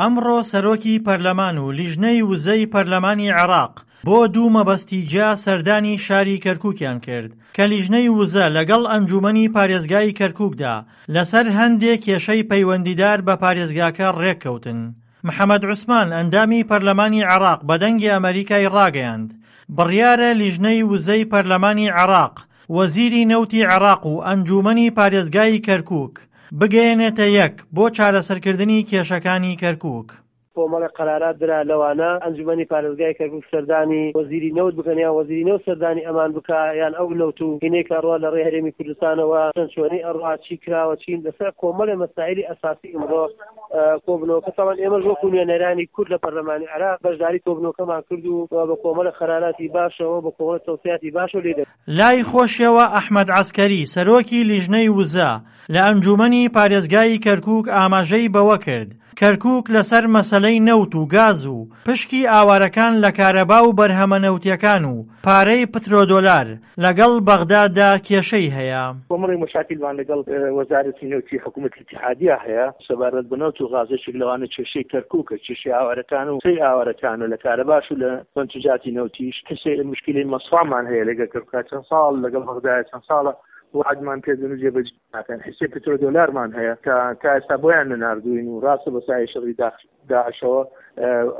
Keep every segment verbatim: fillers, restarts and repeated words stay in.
ئەمڕۆ سەرۆکی پەرلەمان و لیژنەی وزەی پەرلەمانی عێراق بۆ دوو مەبەستی جیا سەردانی شاری کەرکووکیان کرد کە لیژنەی وزە لەگەڵ ئەنجومەنی پارێزگای کەرکووکدا لەسەر هەندێک کێشەی پەیوەندیدار بە پارێزگاکە ڕێککەوتن. محەمەد عوسمان ئەندامی پەرلەمانی عێراق بە دەنگی ئەمەریکای ڕاگەیاند، بڕیارە لیژنەی وزەی پەرلەمانی عێراق وەزیری نەوتی عێراق و ئەنجومەنی پارێزگای کەرکووک بگەیەنێتە یەک بۆ چارەسەرکردنی کێشەکانی کەرکووک. کۆمەڵێک قەرارات درا، لەوانە ئەنجومەنی پارێزگای کەرکوک سەردانی وەزیری نەوت بکەن یان وەزیری نەوت سەردانی ئەمان بکا یان ئەو نەوت و هینەی کە ئەڕوا لە ڕێی هەرێمی کوردستانەوە چەند چۆنی ئەڕوا چی کراوە چین لەسەر کۆمەڵێ مەسائیلی ئەساسی ئمڕۆ کۆبنەوەکە تەبعەن ئێمەش وەکوو نوێنەرانی کورد لە پەرلەمانی عێراق بەشداری کۆبنەوەکەمان کرد و بە کۆمەڵێک قەراراتی باشەوە بە کۆمەڵێک تەوسیاتی باشەوە لێی دەر لای خۆشیەوە ئەحمەد عەسکەری سەرۆکی لیژنەی وزە لە ئەنجومەنی پارێزگای کەرکوک ئاماژەی بەوەکرد، کەرکوک لەسەر مەسەلەی نەوت و گاز و پشکی ئاوارەکان لە کارەبا و بەرهەمە نەوتیەکان و پارەی پترۆدۆلار لەگەڵ بەغداددا کێشەی هەیە. کۆمەڵێک مەشاکیلمان لەگەڵ وەزارەتی نەوتی حکوومەتی ئیتیحادیە هەیە سەبارەت بە نەوت و غاز، یەکێک لەوانە کێشەی کەرکووکە، کێشەی ئاوارەکان و حسەی ئاوارەکانە لە کارەباش و لە مەنتوجاتی نەوتیش، حسەی مشکیلەی مەسفامان هەیە لەگەڵ کەرکووکا چەند ساڵ لەگەڵ بەغدایە چەند ساڵە وەعدمان پێدەن و جێبەجێ ناکەن، حسەی پترۆدۆلارمان هەیە کە تا ئێستا بۆیان نەناردووین و ڕاستە بە سایەی شەڕی داعشەوە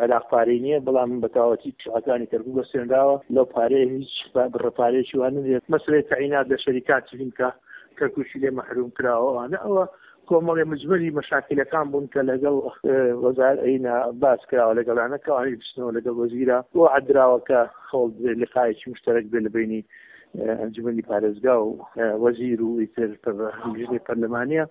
عێراق پارەی نییە، بەڵام بە تەواوەتی شوقەکانی کەرکووک بەستێنراوە، لەو پارەیە هیچ بڕە پارەیەکی وا نەدرێت، مەسەلەی تەعینات لە شەریکاتی هین کە کەرکووکی لێ مەحرووم کراوە ئەوانە ئەوە کۆمەڵێ مجمەلی مەشاکیلەکان بوون کە لەگەڵ وەزار ئەینا باس کراوە لەگەڵیانە کە ئەوانیش بچنەوە لەگەڵ وەزیرە وەعد دراوە کە هەوڵ بدرێت لقایەکی مشتەرەک بێت لە بەینی ئەنجومەنی پارێزگا و وەزیر و ئیتر لیژنەی پەرلەمانیە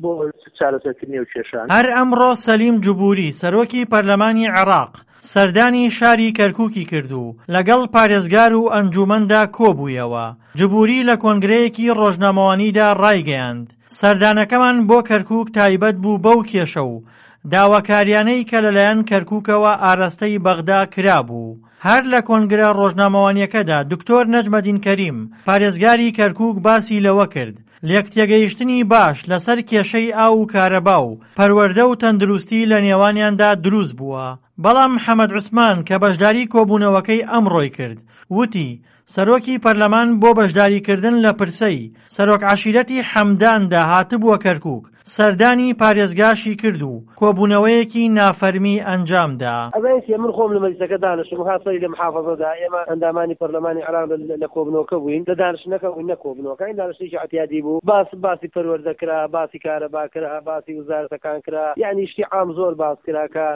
بۆ چارەسەرکردنی ئەو کێشانە. هەر ئەمڕۆ سەلیم جبوری سەرۆکی پەرلەمانی عێراق سەردانی شاری کەرکوکی کرد و لەگەڵ پارێزگار و ئەنجومەندا کۆبوویەوە. جبوری لە کۆنگرەیەکی ڕۆژنامەوانیدا ڕایگەیاند، سەردانەکەمان بۆ کەرکوک تایبەت بوو بەو کێشە و داواکاریانەی کە لەلایەن کەرکوکەوە ئاراستەی بەغدا کرابوو. هەر لە کۆنگرە ڕۆژنامەوانیەکەدا دکتۆر نەجمەدین کەریم، پارێزگاری کەرکوک باسی لەوە کرد، لێکتێگەیشتنی باش لەسەر کێشەی ئاو و کارەبا و پەروەردە و تەندروستی لە نێوانیاندا دروست بووە. بەڵام محەمەد عوسمان کە بەشداری کۆبوونەوەکەی ئەمڕۆی کرد، وتی، سەرۆکی پەرلەمان بۆ بەشداریکردن لە پرسەی سەرۆک عەشیرەتی حەمداندا هاتبووە کەرکوک، سەردانی پارێزگاشی کرد و کۆبوونەوەیەکی نافەرمی ئەنجامدا. ئەزانی چیە من خۆم لە مەجلیسەکە دانشتم ها سەری لە محافەزەدا ئێمە ئەندامانی پەرلەمانی عێراق لە کۆبنەوەکە بووین لە دانشتنەکە بووین نەک کۆبنەوەکە این دانشتنێکی عەتیادی بوو باس باسی پەروەردە کرا باسی کارەبا کرا باسی وزارەتەکان کرا یەعنی شتی عام زۆر باس کرا کە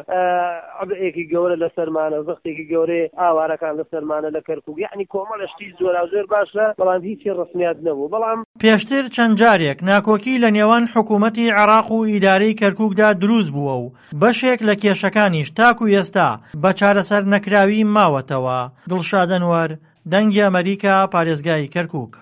عبئێکی گەورە لەسەرمانە زەختێکی گەورەی ئاوارەکان لەسەرمانە لە کەرکوک یەعنی کۆمەڵە شتی جۆراوجۆر باشە بەڵام هیچی ڕەسمیات نەبوو بەڵام. پێشتر چەند جارێک ناکۆکی لە نێوان حکوومەتی عێراق و ئیدارەی کەرکووکدا دروست بووە و بەشێک لە کێشەکانیش تاکو ئێستا بە چارەسەر نەکراوی ماوەتەوە. دڵشاد ئەنوەر، دەنگی ئەمەریکا، پارێزگای کەرکووک.